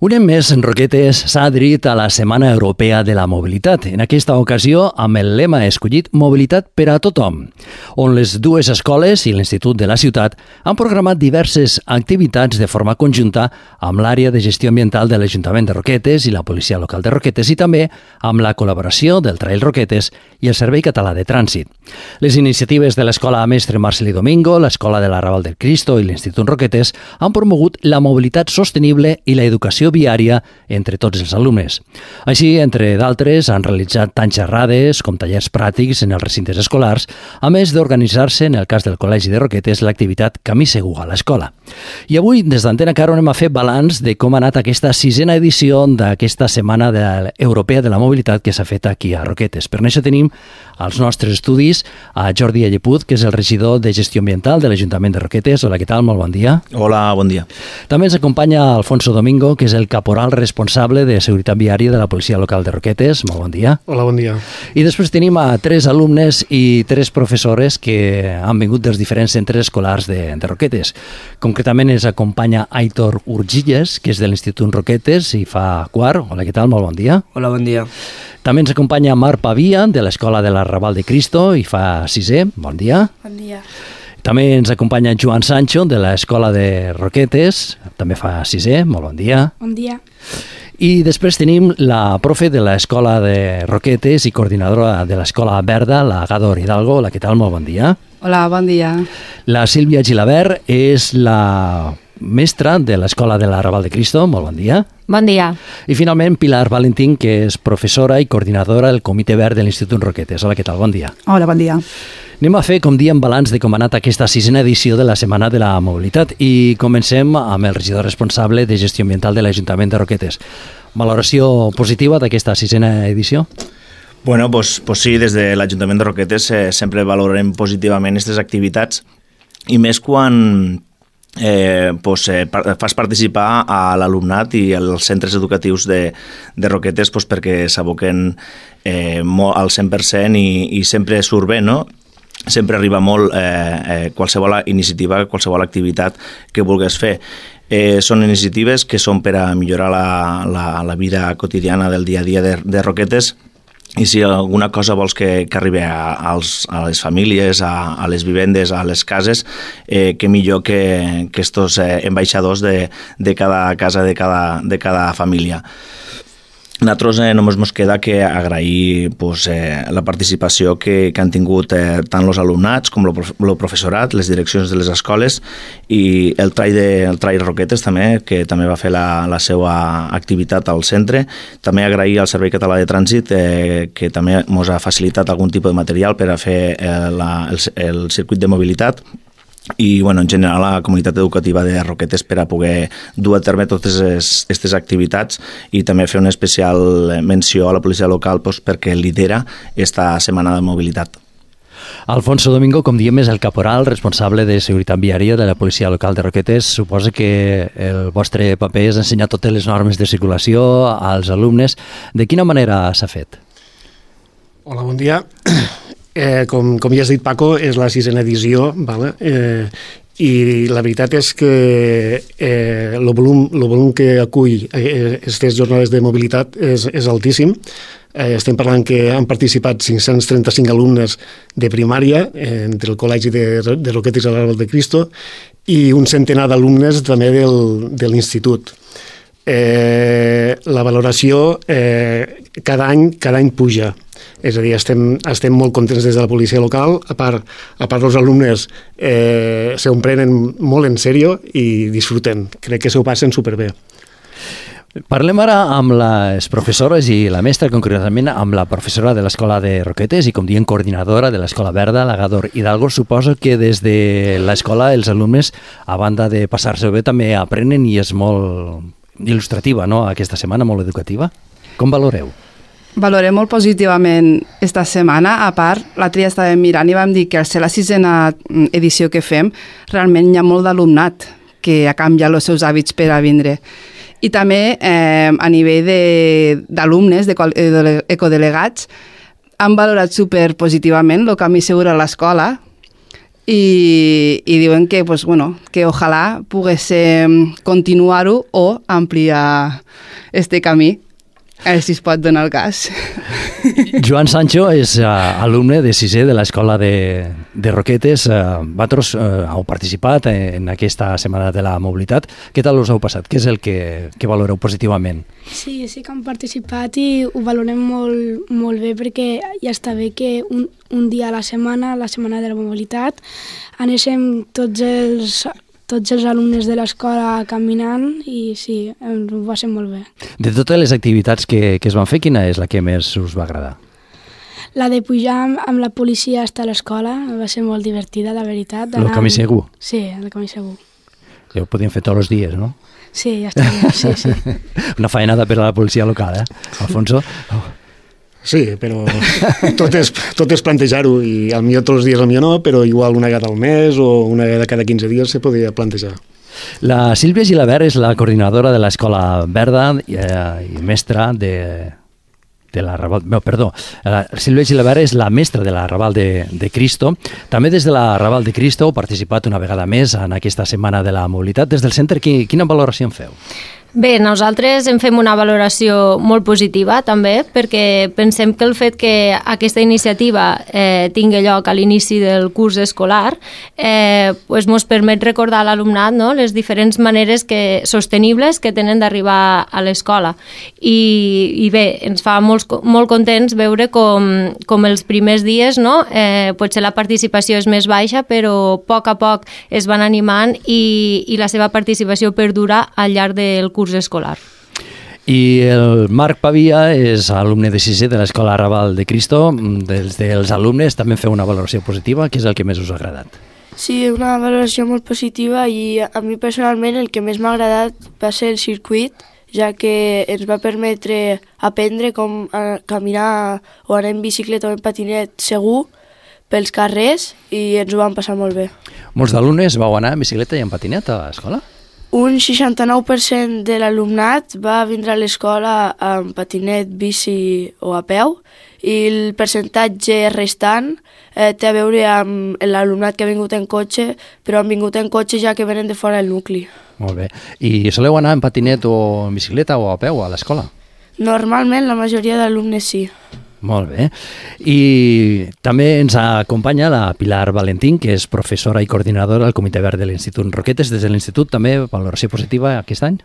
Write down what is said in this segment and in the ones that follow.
Un any més, Roquetes s'ha adherit a la Setmana Europea de la Mobilitat, en aquesta ocasió amb el lema escollit Mobilitat per a tothom, on les dues escoles i l'Institut de la Ciutat han programat diverses activitats de forma conjunta amb l'àrea de gestió ambiental de l'Ajuntament de Roquetes i la Policia Local de Roquetes i també amb la col·laboració del Trail Roquetes i el Servei Català de Trànsit. Les iniciatives de l'Escola Mestre Marcelí Domingo, l'Escola de l'Arrabal del Cristo i l'Institut Roquetes han promogut la mobilitat sostenible i l'educació viària entre tots els alumnes. Així, entre d'altres, han realitzat tant xerrades com tallers pràctics en els recintes escolars, a més d'organitzar-se, en el cas del Col·legi de Roquetes, l'activitat Camí Segur a l'escola. I avui, des d'Antena Caro, anem a fer balanç de com ha anat aquesta sisena edició d'aquesta Setmana Europea de la Mobilitat que s'ha fet aquí a Roquetes. Per això tenim als nostres estudis a Jordi Alleput, que és el regidor de Gestió Ambiental de l'Ajuntament de Roquetes. Hola, què tal? Molt bon dia. Hola, bon dia. També ens acompanya Alfonso Domingo, que és el caporal responsable de Seguretat Viària de la Policia Local de Roquetes. Molt bon dia. Hola, bon dia. I després tenim a 3 alumnes i 3 professores que han vingut dels diferents centres escolars de Roquetes. Concretament ens acompanya Aitor Urgilles, que és de l'Institut Roquetes i fa quart. Hola, què tal? Molt bon dia. Hola, bon dia. També ens acompanya Marc Pavia, de l'Escola de l'Arrabal de Cristo, i fa 6è. Bon dia. Bon dia. També ens acompanya Joan Sancho, de l'Escola de Roquetes, també fa 6è. Molt bon dia. Bon dia. I després tenim la profe de l'Escola de Roquetes i coordinadora de l'Escola Verda, la Gador Hidalgo. Hola, què tal? Molt bon dia. Hola, bon dia. La Sílvia Gilabert és la mestra de l'Escola de l'Arrabal de Cristo. Molt bon dia. Bon dia. I finalment Pilar Valentín, que és professora i coordinadora del Comitè Verd de l'Institut Roquetes. Hola, què tal? Bon dia. Hola, bon dia. Anem a fer, com diem, balanç de com ha anat aquesta sisena edició de la Setmana de la Mobilitat i comencem amb el regidor responsable de Gestió Ambiental de l'Ajuntament de Roquetes. Valoració positiva d'aquesta sisena edició? Bueno, pues sí, des de l'Ajuntament de Roquetes sempre valorem positivament aquestes activitats i més quan fas participar a l'alumnat i als centres educatius de Roquetes perquè s'aboquen al 100% i sempre surt bé, no? Sempre arriba molt qualsevol iniciativa, qualsevol activitat que vulguis fer. Són iniciatives que són per a millorar la vida quotidiana del dia a dia de Roquetes. I si alguna cosa vols que arribi a les famílies, a les vivendes, a les cases, que millor que estos ambaixadors de cada casa, de cada família. Nosaltres només ens queda que agrair la participació que han tingut tant els alumnats com el professorat, les direccions de les escoles i el Trail Roquetes també, que també va fer la seva activitat al centre. També agrair al Servei Català de Trànsit que també ens ha facilitat algun tipus de material per a fer el circuit de mobilitat. I en general la comunitat educativa de Roquetes per a poder dur a terme totes aquestes activitats i també fer una especial menció a la policia local perquè lidera aquesta setmana de mobilitat. Alfonso Domingo, com diem, és el caporal responsable de seguretat viària de la policia local de Roquetes. Suposa que el vostre paper és ensenyar totes les normes de circulació als alumnes. De quina manera s'ha fet? Hola, bon dia. Com ja has dit, Paco, és la sisena edició, i la veritat és que el volum que acull aquestes jornades de mobilitat és altíssim. Estem parlant que han participat 535 alumnes de primària entre el Col·legi de Roquetes i l'Arrabal de Cristo i un centenar d'alumnes també de l'Institut. La valoració cada any puja. És a dir, estem molt contents des de la policia local. A part els alumnes s'ho prenen molt en sèrio i disfruten. Crec que s'ho passen superbé. Parlem ara amb les professores i la mestra, concretament amb la professora de l'Escola de Roquetes i, com diem, coordinadora de l'Escola Verda, la Gador Hidalgo. Suposo que des de l'escola els alumnes, a banda de passar-se bé, també aprenen i és molt il·lustrativa, no?, aquesta setmana, molt educativa. Com valoreu? Valorem molt positivament esta setmana. A part, l'altre dia estàvem mirant i vam dir que al ser la sisena edició que fem, realment hi ha molt d'alumnat que ha canviat els seus hàbits per a vindre. I també a nivell d'alumnes, d'ecodelegats, han valorat superpositivament el camí segur a l'escola i diuen que, pues, bueno, que ojalà pogués continuar-ho o ampliar este camí. A veure si es pot donar el cas. Joan Sancho és alumne de 6è de l'Escola de Roquetes. Vosaltres heu participat en aquesta Setmana de la Mobilitat. Què tal us heu passat? Què és el que valoreu positivament? Sí que hem participat i ho valorem molt, molt bé, perquè ja està bé que un dia a la Setmana de la Mobilitat, anéssim tots els alumnes de l'escola caminant i sí, ho va ser molt bé. De totes les activitats que es van fer, quina és la que més us va agradar? La de pujar amb la policia hasta l'escola va ser molt divertida, la veritat. El camí segur? Sí, el camí segur. Ja ho podíem fer tots els dies, no? Sí, ja està bé, sí. Una faenada per a la policia local, Alfonso? Sí, però tot és plantejar-ho i potser tots els dies potser no, però igual una vegada al mes o una vegada cada 15 dies se podria plantejar. La Sílvia Gilabert és la coordinadora de l'Escola Verda i mestra de la Raval... No, perdó, la Sílvia Gilabert és la mestra de la Raval de Cristo. També des de la Raval de Cristo heu participat una vegada més en aquesta Setmana de la Mobilitat. Des del centre, quina valoració en feu? Bé, nosaltres en fem una valoració molt positiva també, perquè pensem que el fet que aquesta iniciativa tingui lloc a l'inici del curs escolar ens permet recordar a l'alumnat, no?, les diferents maneres sostenibles que tenen d'arribar a l'escola. I bé, ens fa molt contents veure com els primers dies, no?, potser la participació és més baixa, però a poc es van animant i la seva participació perdura al llarg del curs escolar. I el Marc Pavia és alumne de 6è de l'Escola Raval de Cristo. Dels alumnes també feu una valoració positiva. Què és el que més us ha agradat? Sí, una valoració molt positiva i a mi personalment el que més m'ha agradat va ser el circuit, ja que ens va permetre aprendre com caminar o anar en bicicleta o en patinet segur pels carrers i ens ho vam passar molt bé. Molts d'alumnes vau anar en bicicleta i en patinet a l'escola? Un 69% de l'alumnat va vindre a l'escola amb patinet, bici o a peu i el percentatge restant té a veure amb l'alumnat que ha vingut en cotxe, però han vingut en cotxe ja que venen de fora del nucli. Molt bé. I soleu anar en patinet o en bicicleta o a peu a l'escola? Normalment la majoria d'alumnes sí. Molt bé. I també ens acompanya la Pilar Valentín, que és professora i coordinadora del Comitè Verd de l'Institut Roquetes. Des de l'Institut també valoració positiva aquest any?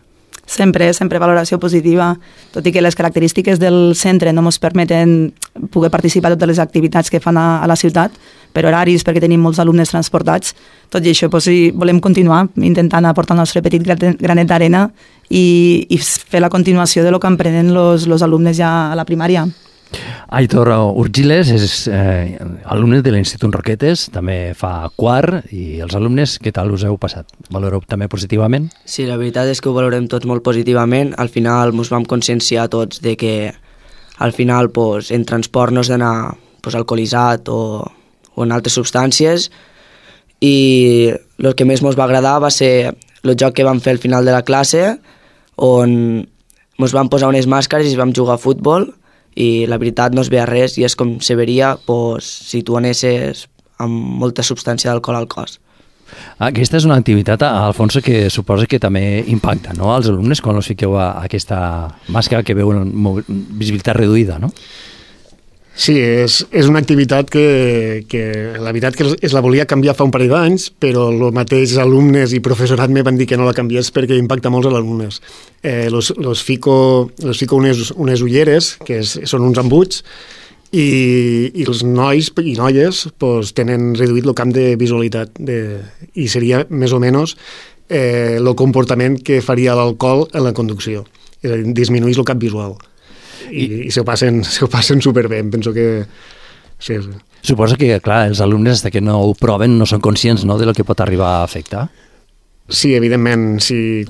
Sempre valoració positiva, tot i que les característiques del centre no ens permeten poder participar en totes les activitats que fan a la ciutat, per horaris, perquè tenim molts alumnes transportats. Tot i això, volem continuar intentant aportar el nostre petit granet d'arena i fer la continuació de lo que aprenen els alumnes ja a la primària. Aitor Urgiles és alumne de l'Institut Roquetes, també fa quart, i els alumnes, què tal us heu passat? Valoreu també positivament? Sí, la veritat és que ho valorem tots molt positivament. Al final ens vam conscienciar tots de que al final en transport no has d'anar alcoholitzat o en altres substàncies, i el que més ens va agradar va ser el joc que vam fer al final de la classe, on ens vam posar unes màscares i vam jugar a futbol, i la veritat no es veia res i és com se veria si tu anessis amb molta substància d'alcohol al cos. Aquesta és una activitat, Alfonso, que suposa que també impacta, no?, als alumnes quan els fiqueu a aquesta màscara que veuen visibilitat reduïda, no? Sí, és una activitat que la veritat que es la volia canviar fa un parell d'anys, però els mateixos alumnes i professorat me van dir que no la canviés perquè impacta molts als alumnes. Los fico unes ulleres, que són uns embuts, i els nois i noies tenen reduït el camp de visualitat i seria més o menys el comportament que faria l'alcohol en la conducció. És a dir, disminuís el camp visual. I s'ho passen superbé, penso que... Sí. Suposa que, clar, els alumnes, fins que no ho proven, no són conscients, no?, de lo que pot arribar a afectar. Sí, evidentment,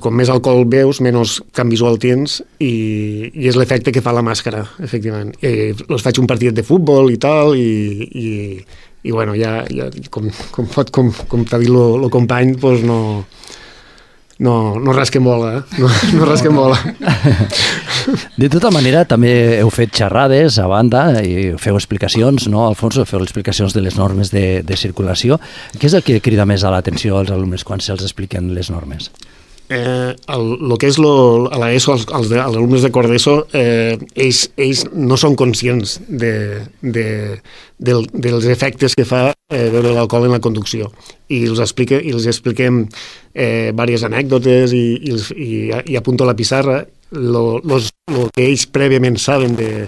com més alcohol veus, menys camp visual tens, i és l'efecte que fa la màscara, efectivament. Els faig un partit de futbol i tal, i bueno, ja com t'ha dit el company, doncs no rasquem bola, no rasquem bola. De tota manera, també heu fet xerrades a banda i feu explicacions, no, Alfonso? Feu explicacions de les normes de circulació. Què és el que crida més a l'atenció als alumnes quan se'ls expliquen les normes? El que és a l'ESO, els alumnes de quart d'ESO, ells no són conscients dels efectes que fa beure l'alcohol en la conducció. I els expliquem diverses anècdotes i apunto a la pissarra el que ells prèviament saben de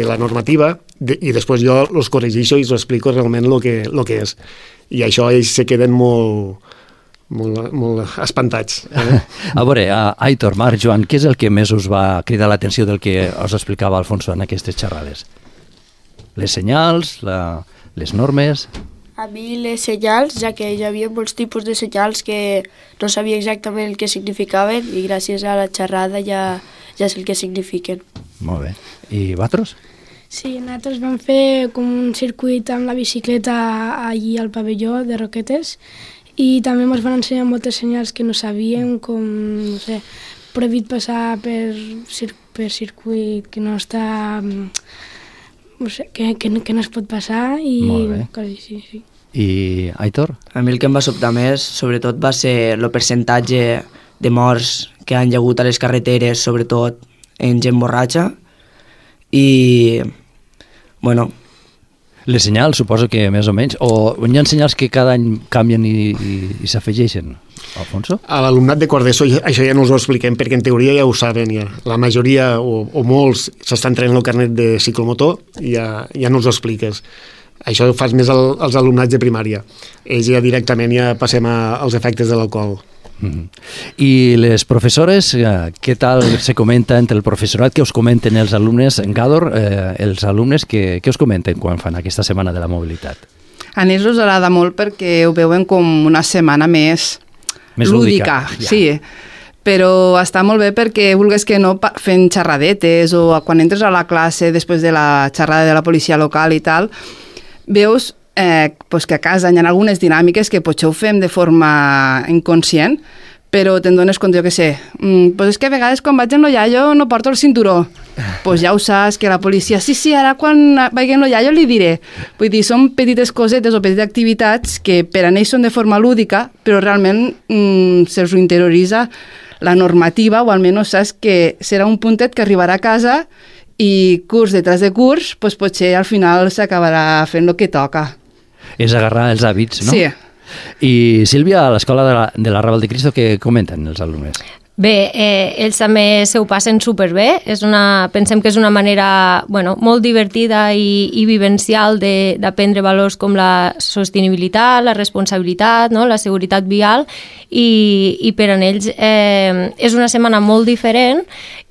la normativa i després jo els corregeixo i els explico realment el que és. I això ells se queden molt espantats. A veure, Aitor, Marc, Joan, què és el que més us va cridar l'atenció del que us explicava Alfonso en aquestes xerrades? Les senyals, les normes... A mi les senyals, ja que hi havia molts tipus de senyals que no sabia exactament el que significaven i gràcies a la xerrada ja sé el que signifiquen. Molt bé. I vosaltres? Sí, nosaltres vam fer com un circuit amb la bicicleta allí al pavelló de Roquetes i també ens van ensenyar moltes senyals que no sabíem, com, no sé, prohibit passar per circuit que no està... No sé, que no es pot passar i coses així, sí. I Aitor? A mi el que em va sobtar més, sobretot, va ser el percentatge de morts que han hagut a les carreteres, sobretot en gent borratxa, i, bueno... Les senyals, suposo que més o menys, o hi ha senyals que cada any canvien i s'afegeixen, Alfonso? A l'alumnat de quart d'ESO això ja no us ho expliquem, perquè en teoria ja ho saben, ja. La majoria o molts s'estan traient el carnet de ciclomotor i ja no us ho expliques. Això ho fas més als alumnats de primària. Ells ja directament ja passem als efectes de l'alcohol. I les professores, què tal se comenta entre el professorat? Què us comenten els alumnes? En Gàdor, els alumnes, què us comenten quan fan aquesta setmana de la mobilitat? A ells us agrada molt perquè ho veuen com una setmana més lúdica. Ja. Sí, però està molt bé perquè vulguis que no fent xerradetes o quan entres a la classe després de la xerrada de la policia local i tal, veus pues que a casa hi ha algunes dinàmiques que potser ho fem de forma inconscient, però te'n dones compte, jo què sé, pues és que a vegades quan vaig en lo iaio no porto el cinturó, pues ja ho saps, que la policia, sí, ara quan vagi en lo iaio li diré. Vull dir, són petites cosetes o petites activitats que per a ells són de forma lúdica, però realment se'ls interioritza la normativa, o almenys saps que serà un puntet que arribarà a casa i curs detrás de curs, pues potser al final s'acabarà fent el que toca. És agarrar els hàbits, no? Sí. I Sílvia, a l'escola de la Raval de Cristo, què comenten els alumnes? Bé, ells també s'ho passen superbé. Pensem que és una manera molt divertida i vivencial d'aprendre valors com la sostenibilitat, la responsabilitat, no? La seguretat vial, i per a ells és una setmana molt diferent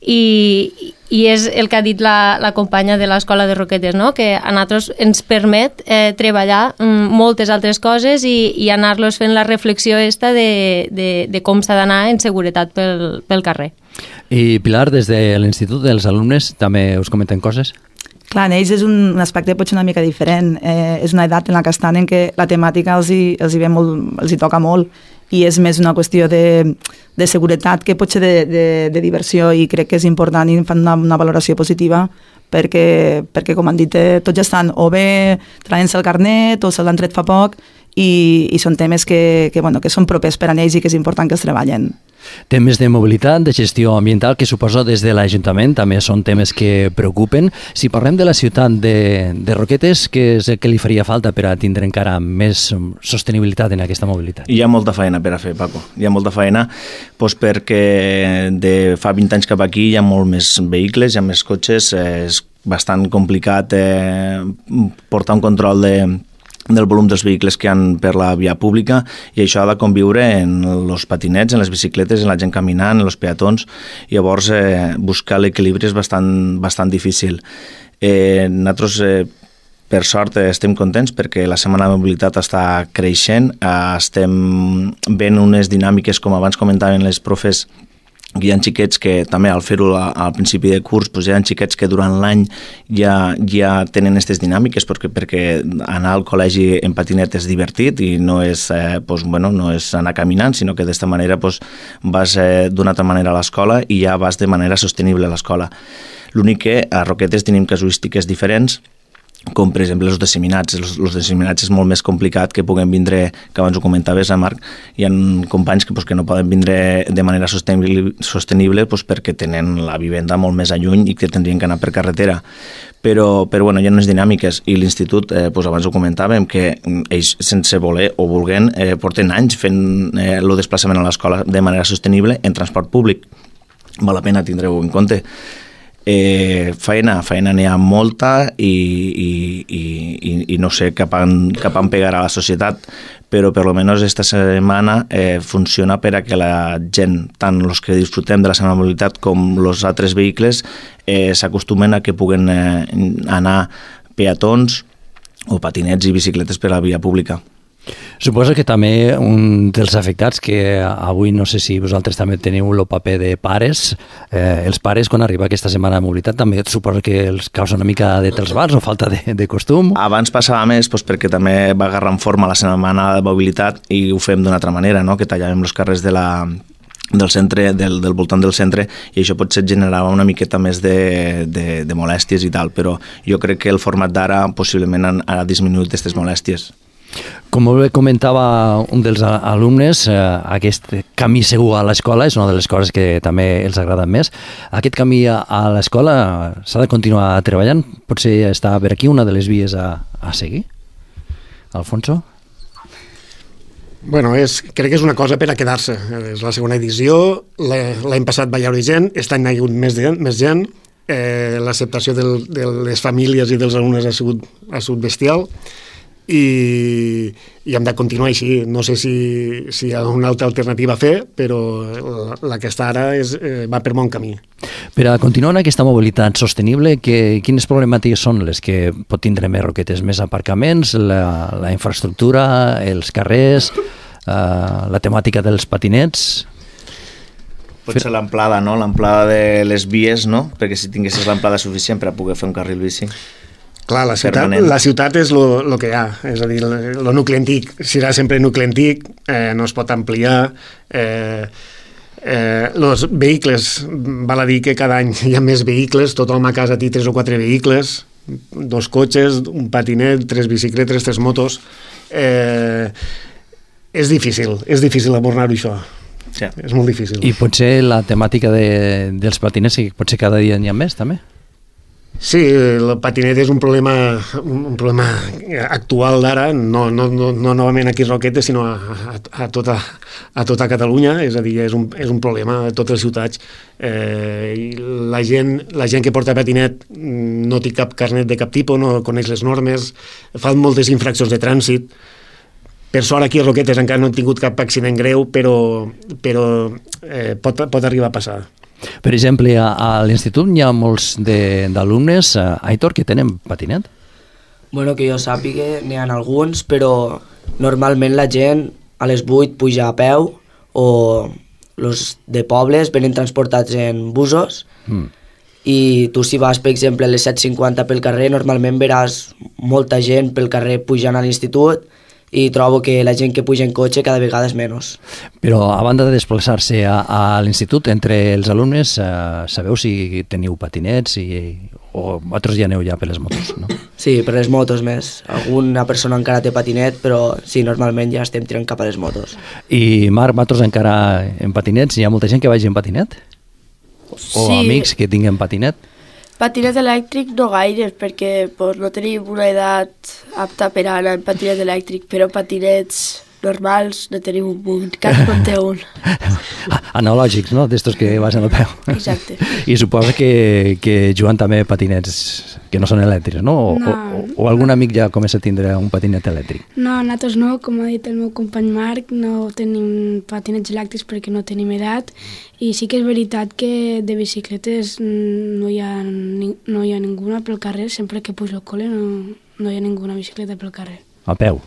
i és el que ha dit la companya de l'escola de Roquetes, no? Que a nosaltres ens permet treballar moltes altres coses i anar-los fent la reflexió de com s'ha d'anar en seguretat pel carrer. I Pilar, des de l'Institut dels Alumnes també us comenten coses? Clar, en ells és un aspecte potser una mica diferent. És una edat en la que estan en què la temàtica els hi toca molt i és més una qüestió de seguretat que potser de diversió, i crec que és important i fan una valoració positiva perquè com han dit, tots ja estan o bé traient-se el carnet o se l'han tret fa poc i són temes que són propers per a ells i que és important que es treballen. Temes de mobilitat, de gestió ambiental, que suposo des de l'Ajuntament també són temes que preocupen. Si parlem de la ciutat de Roquetes, què és el que li faria falta per a tindre encara més sostenibilitat en aquesta mobilitat? Hi ha molta feina per a fer, Paco. Hi ha molta feina perquè de fa 20 anys cap aquí hi ha molt més vehicles, hi ha més cotxes, és bastant complicat portar un control del volum dels vehicles que hi ha per la via pública, i això ha de conviure en els patinets, en les bicicletes, en la gent caminant, en els peatons. Llavors buscar l'equilibri és bastant difícil. Nosaltres per sort estem contents perquè la Setmana de Mobilitat està creixent, estem veient unes dinàmiques, com abans comentaven les profes, Hi ha xiquets que també al fer-ho al principi de curs hi ha xiquets que durant l'any ja tenen aquestes dinàmiques perquè anar al col·legi en patinet és divertit i no és, no és anar caminant, sinó que d'esta manera vas d'una altra manera a l'escola i ja vas de manera sostenible a l'escola. L'únic que a Roquetes tenim casuístiques diferents, com per exemple els disseminats. Els disseminats és molt més complicat que puguem vindre, que abans ho comentaves, Marc, hi ha companys que no poden vindre de manera sostenible perquè tenen la vivenda molt més alluny i que tindrien que anar per carretera. Però hi ha unes dinàmiques i l'institut, abans ho comentàvem, que ells sense voler o volent porten anys fent el desplaçament a l'escola de manera sostenible en transport públic. Val la pena tindre-ho en compte. Feina n'hi ha molta i no sé cap on pegar a la societat, però per almenys esta setmana funciona per a que la gent, tant els que disfrutem de la seva mobilitat com els altres vehicles, s'acostumen a que puguen anar peatons o patinets i bicicletes per la via pública. Suposo que també un dels afectats, que avui no sé si vosaltres també teniu el paper de pares, els pares quan arriba aquesta setmana de mobilitat també suposo que els causa una mica de trasbals o falta de costum. Abans passava més perquè també va agarrar en forma la setmana de mobilitat i ho fem d'una altra manera, no? Que tallàvem els carrers del centre, del voltant del centre, i això potser generava una miqueta més de molèsties i tal, però jo crec que el format d'ara possiblement ha disminuït aquestes molèsties. Com bé comentava un dels alumnes, aquest camí segur a l'escola és una de les coses que també els agraden més. Aquest camí a l'escola s'ha de continuar treballant? Potser està per aquí una de les vies a seguir? Alfonso? Bueno, crec que és una cosa per a quedar-se. És la segona edició, l'any passat va haver gent, aquest any hi ha hagut més gent, l'acceptació de les famílies i dels alumnes ha sigut bestial, i hem de continuar així. No sé si hi ha una altra alternativa a fer, però la que està ara va per bon camí. Per a continuar en aquesta mobilitat sostenible, quines problemàtiques són les que pot tindre més Roquetes? Més aparcaments, la infraestructura, els carrers, la temàtica dels patinets? Potser l'amplada, no? L'amplada de les vies, no? Perquè si tinguessis l'amplada suficient per a poder fer un carril bici. Clar, la ciutat és el que hi ha, és a dir, el nucli antic serà sempre nucli antic, no es pot ampliar. Els vehicles, val a dir que cada any hi ha més vehicles, tothom a casa té 3 o 4 vehicles, 2 cotxes, un patinet, 3 bicicletes, 3 motos. És difícil abordar-ho això. Sí. És molt difícil. I potser la temàtica dels patinets, potser cada dia n'hi ha més, també? Sí, el patinet és un problema actual d'ara, no novament aquí a Roquetes, sinó a tota Catalunya, és a dir, és un problema a totes les ciutats. La gent que porta patinet no té cap carnet de cap tipus, no coneix les normes, fan moltes infraccions de trànsit. Per sort aquí a Roquetes encara no han tingut cap accident greu, però pot arribar a passar. Per exemple, a l'institut hi ha molts d'alumnes, Aitor, que tenen patinet? Bueno, que jo sàpiga, n'hi ha alguns, però normalment la gent a les 8 puja a peu o els de pobles venen transportats en busos i tu si vas, per exemple, a les 7:50 pel carrer, normalment veràs molta gent pel carrer pujant a l'institut i trobo que la gent que puja en cotxe cada vegada és menys. Però a banda de desplaçar-se a l'institut, entre els alumnes, sabeu si teniu patinets o vosaltres ja aneu ja per les motos, no? Sí, per les motos més. Alguna persona encara té patinet, però sí, normalment ja estem tirant cap a les motos. I Marc, vosaltres encara en patinets? Hi ha molta gent que vagi en patinet? O sí. amics que tinguen patinet? Patinet elèctric no gaire, perquè no tenim una edat apta per anar en patinet elèctric, però patinets normals no tenim un munt, cada un té un. Analògics, no? D'estos que vas en el peu. Exacte. I suposo que juguen també patinets que no són elèctrics, no? O algun amic ja comença a tindre un patinet elèctric? No, nosaltres no, com ha dit el meu company Marc, no tenim patinets elèctrics perquè no tenim edat, i sí que és veritat que de bicicletes no hi ha ninguna pel carrer, sempre que pujo al col·le no hi ha ninguna bicicleta pel carrer. A peu?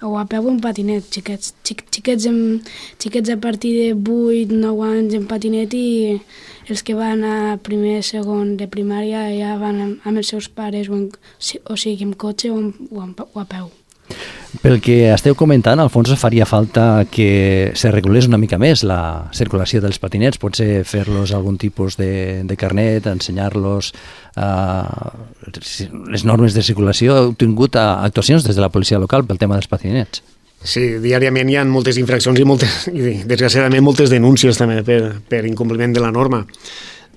o a peu o en patinet, xiquets a partir de 8-9 anys en patinet i els que van a primer, segon de primària ja van amb els seus pares, o sigui, en cotxe o a peu. Pel que esteu comentant, Alfonso, faria falta que se regulés una mica més la circulació dels patinets, potser fer-los algun tipus de carnet, ensenyar-los les normes de circulació. Heu tingut actuacions des de la policia local pel tema dels patinets? Sí, diàriament hi ha moltes infraccions i desgraciadament moltes denúncies també per incompliment de la norma.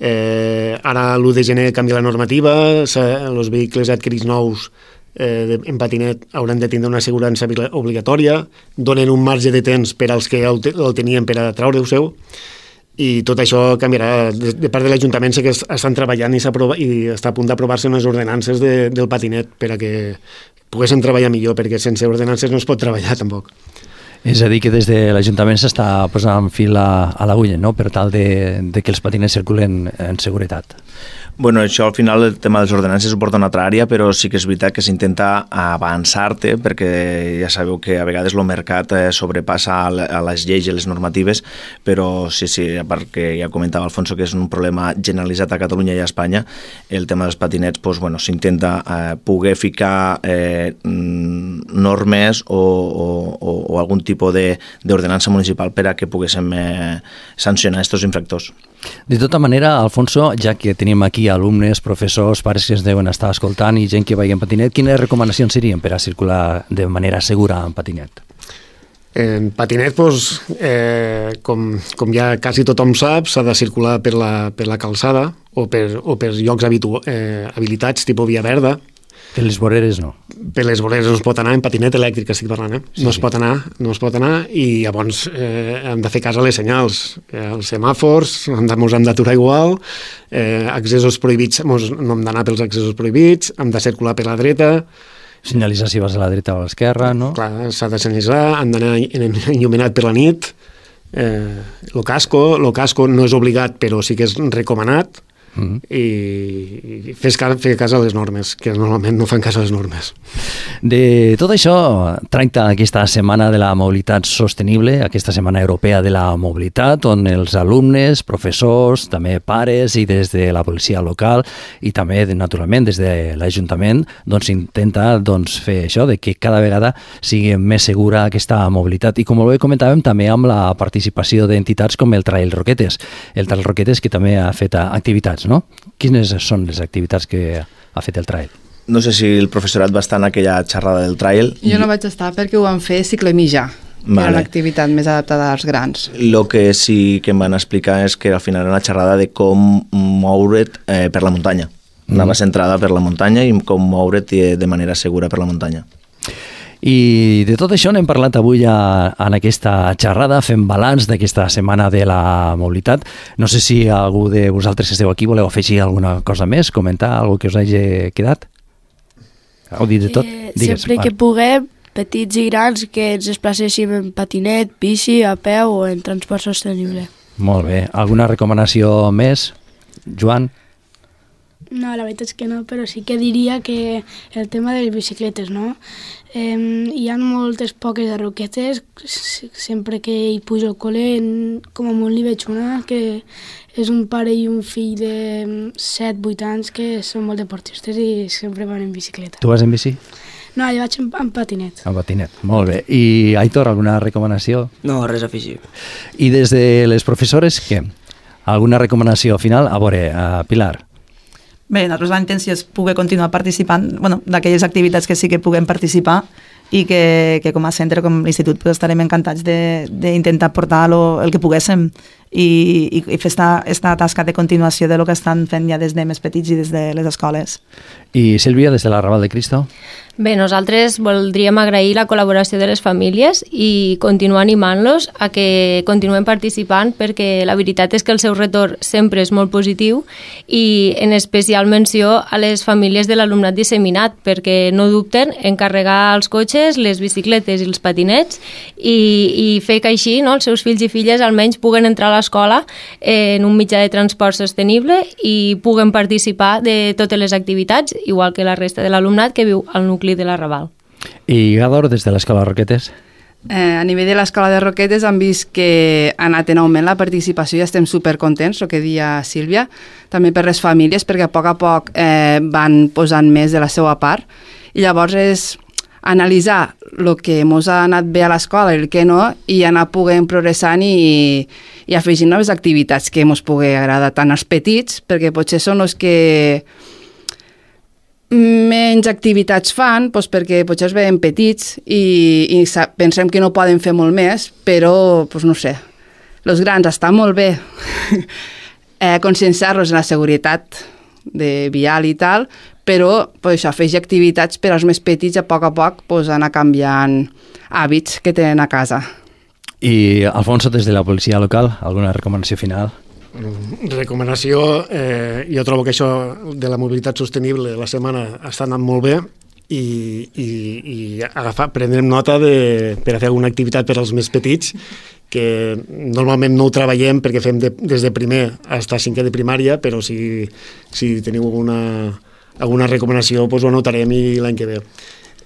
Ara l'1 de gener canvia la normativa, els vehicles adquirits nous en patinet hauran de tindre una assegurança obligatòria, donen un marge de temps per als que el tenien per a treure-ho seu, i tot això canviarà. De part de l'Ajuntament sé que estan treballant i està a punt d'aprovar-se unes ordenances del patinet per a que poguéssim treballar millor, perquè sense ordenances no es pot treballar tampoc. És a dir, que des de l'Ajuntament s'està posant fil a l'agulla, no?, per tal de que els patinets circulen en seguretat. Bueno, això al final el tema de les ordenances ho porta una altra àrea, però sí que és veritat que s'intenta avançar-te, perquè ja sabeu que a vegades el mercat sobrepassa a les lleis i les normatives, però sí, a part que ja comentava Alfonso que és un problema generalitzat a Catalunya i a Espanya, el tema dels patinets, doncs, bueno, s'intenta poder ficar normes o algun tipus d'ordenança municipal per a que poguéssim sancionar aquests infractors. De tota manera, Alfonso, ja que tenim aquí alumnes, professors, pares que es deuen estar escoltant i gent que vagi en patinet, quines recomanacions serien per a circular de manera segura en patinet? En patinet, com ja quasi tothom sap, s'ha de circular per la calçada o per llocs habilitats, tipus via verda. Per les voreres no. Per les voreres no es pot anar, en patinet elèctric estic parlant, no es pot anar, i llavors hem de fer cas a les senyals. Els semàfors ens hem d'aturar igual, accessos prohibits, no hem d'anar pels accessos prohibits, hem de circular per la dreta. Senyalitzar si vas a la dreta o a l'esquerra, no? Clar, s'ha de senyalitzar, hem d'anar il·luminat per la nit. El casco no és obligat, però sí que és recomanat. I fer cas a les normes, que normalment no fan cas a les normes. De tot això tracta aquesta setmana de la mobilitat sostenible, aquesta setmana europea de la mobilitat, on els alumnes, professors, també pares i des de la policia local i també, naturalment, des de l'Ajuntament, doncs intenta fer això, de que cada vegada sigui més segura aquesta mobilitat. I com bé comentàvem, també amb la participació d'entitats com el Trail Roquetes. El Trail Roquetes, que també ha fet activitats, no? Quines són les activitats que ha fet el Trail? No sé si el professorat va estar en aquella xerrada del Trail. Jo no vaig estar perquè ho van fer cicle mitjà, que era l'activitat més adaptada als grans. El que sí que em van explicar és que al final era una xerrada de com moure't per la muntanya. Anava centrada per la muntanya i com moure't de manera segura per la muntanya. I de tot això n'hem parlat avui en aquesta xerrada, fent balanç d'aquesta setmana de la mobilitat. No sé si algú de vosaltres que esteu aquí voleu afegir alguna cosa més, comentar alguna que us hagi quedat? Heu dit de tot? Digues. Sempre que puguem, petits i grans, que ens desplacéssim en patinet, bici, a peu o en transport sostenible. Molt bé. Alguna recomanació més, Joan? No, la veritat és que no, però sí que diria que el tema de les bicicletes, no? Hi ha moltes poques de roquetes, sempre que hi pujo al col·le, com a molt n'hi veig una, que és un pare i un fill de 7-8 anys que són molt deportistes i sempre van en bicicleta. Tu vas en bici? No, jo vaig en patinet. En patinet, molt bé. I Aitor, alguna recomanació? No, res a afegir. I des de les professores, què? Alguna recomanació final? A veure, Pilar. Bé, nosaltres la intenció és poder continuar participant, d'aquelles activitats que sí que puguem participar i que com a centre, com a institut, estarem encantats d'intentar portar el que poguéssim i fer esta tasca de continuació de lo que estan fent ja des de més petits i des de les escoles. I Sílvia, des de la Raval de Cristo? Bé, nosaltres voldríem agrair la col·laboració de les famílies i continuar animant-los a que continuen participant, perquè la veritat és que el seu retorn sempre és molt positiu, i en especial menció a les famílies de l'alumnat disseminat, perquè no dubten en carregar els cotxes, les bicicletes i els patinets i fer que així els seus fills i filles almenys puguen entrar a l'escola en un mitjà de transport sostenible i puguen participar de totes les activitats, igual que la resta de l'alumnat que viu al nucli de la Raval. I Gador, des de l'Escola Roquetes? A nivell de l'Escola de Roquetes hem vist que ha anat en augment la participació i estem supercontents, el que deia Sílvia, també per les famílies, perquè a poc van posant més de la seva part, i llavors és analitzar el que ens ha anat bé a l'escola i el que no, i anar podent progressant i afegint noves activitats que ens pugui agradar tant als petits, perquè potser són els que menys activitats fan, doncs perquè potser es veuen petits i pensem que no poden fer molt més, però doncs no sé, els grans estan molt bé conscienciar-los en la seguretat de vial i tal, però doncs, això, afegir activitats per als més petits a poc doncs, anar canviant hàbits que tenen a casa. I Alfonso, des de la policia local, alguna recomanació final? Recomanació, jo trobo que això de la mobilitat sostenible la setmana està anant molt bé i prendrem nota per fer alguna activitat per als més petits, que normalment no ho treballem perquè fem des de primer fins a 5è de primària, però si teniu alguna recomanació doncs ho anotarem i l'any que ve.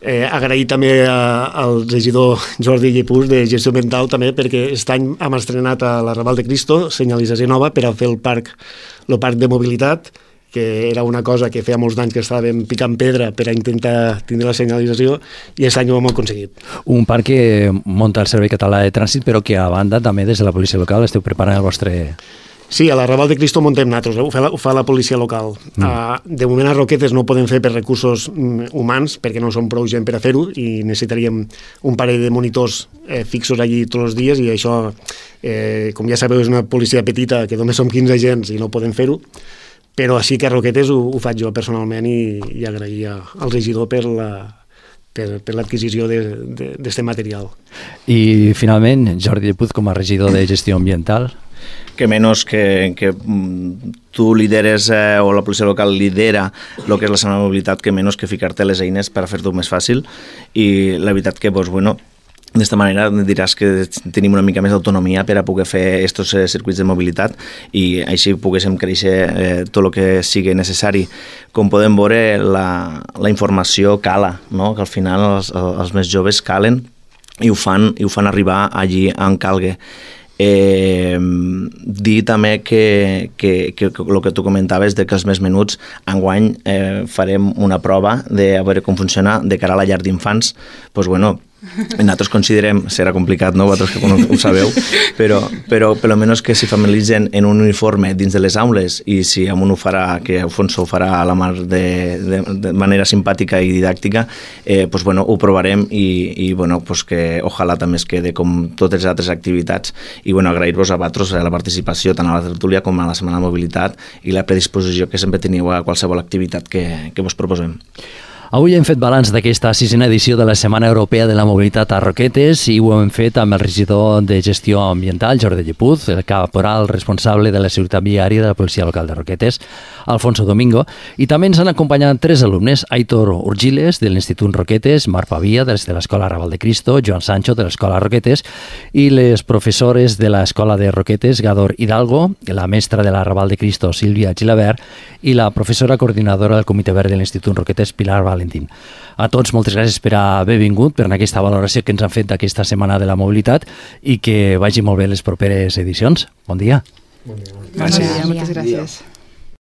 Agrair també al regidor Jordi Llepús de Gestió Ambiental també, perquè aquest any hem estrenat a la Raval de Cristo senyalització nova per a fer el parc de mobilitat, que era una cosa que feia molts anys que estàvem picant pedra per a intentar tindre la senyalització, i aquest any ho hem aconseguit. Un parc que munta el Servei Català de Trànsit, però que a banda també des de la policia local esteu preparant el vostre... Sí, a la Raval de Cristo muntem nosaltres, ho fa la policia local. De moment a Roquetes no ho podem fer per recursos humans, perquè no som prou gent per a fer-ho, i necessitaríem un parell de monitors fixos allí tots els dies, i això, com ja sabeu, és una policia petita, que només som 15 agents i no podem fer-ho, però així que a Roquetes ho faig jo personalment, i agrair al regidor per l'adquisició d'aquest material. I finalment, Jordi Llepús, com a regidor de Gestió Ambiental. Que menys que tu lideres o la policia local lidera el que és la setmana de mobilitat, que menys que ficar-te les eines per a fer-ho més fàcil, i la veritat que, doncs, bueno, d'esta manera diràs que tenim una mica més d'autonomia per a poder fer aquests circuits de mobilitat, i així poguéssim créixer tot el que sigui necessari. Com podem veure, la informació cala, no? Que al final els més joves calen i ho fan arribar allí on calgui. Dir també que el que tu comentaves de que els més menuts enguany farem una prova de a veure com funciona de cara a la llar d'infants. Doncs bueno, nosaltres considerem, serà complicat, no? Vosaltres que ho sabeu, però per almenys que s'hi familiaritzen en un uniforme dins de les aules, i si amb un ho farà, que Alfonso ho farà a la mar de manera simpàtica i didàctica, doncs bueno, ho provarem, i bueno, doncs que ojalà també es quede com totes les altres activitats, i bueno, agrair-vos a vosaltres la participació tant a la tertúlia com a la Setmana de Mobilitat i la predisposició que sempre teniu a qualsevol activitat que vos proposem. Avui hem fet balanç d'aquesta 6a edició de la Setmana Europea de la Mobilitat a Roquetes, i ho hem fet amb el regidor de Gestió Ambiental, Jordi Llepús, el caporal responsable de la seguretat viària de la policia local de Roquetes, Alfonso Domingo, i també ens han acompanyat 3 alumnes, Aitor Urgiles, de l'Institut Roquetes, Marc Pavia, de l'Escola Raval de Cristo, Joan Sancho, de l'Escola Roquetes, i les professores de l'Escola de Roquetes, Gador Hidalgo, la mestra de la Raval de Cristo, Sílvia Gilabert, i la professora coordinadora del Comitè Verd de l'Institut Roquetes, Pilar Valentín. A tots, moltes gràcies per haver vingut, per aquesta valoració que ens han fet d'aquesta Setmana de la Mobilitat, i que vagi molt bé les properes edicions. Bon dia. Bon dia. Gràcies. Moltes gràcies.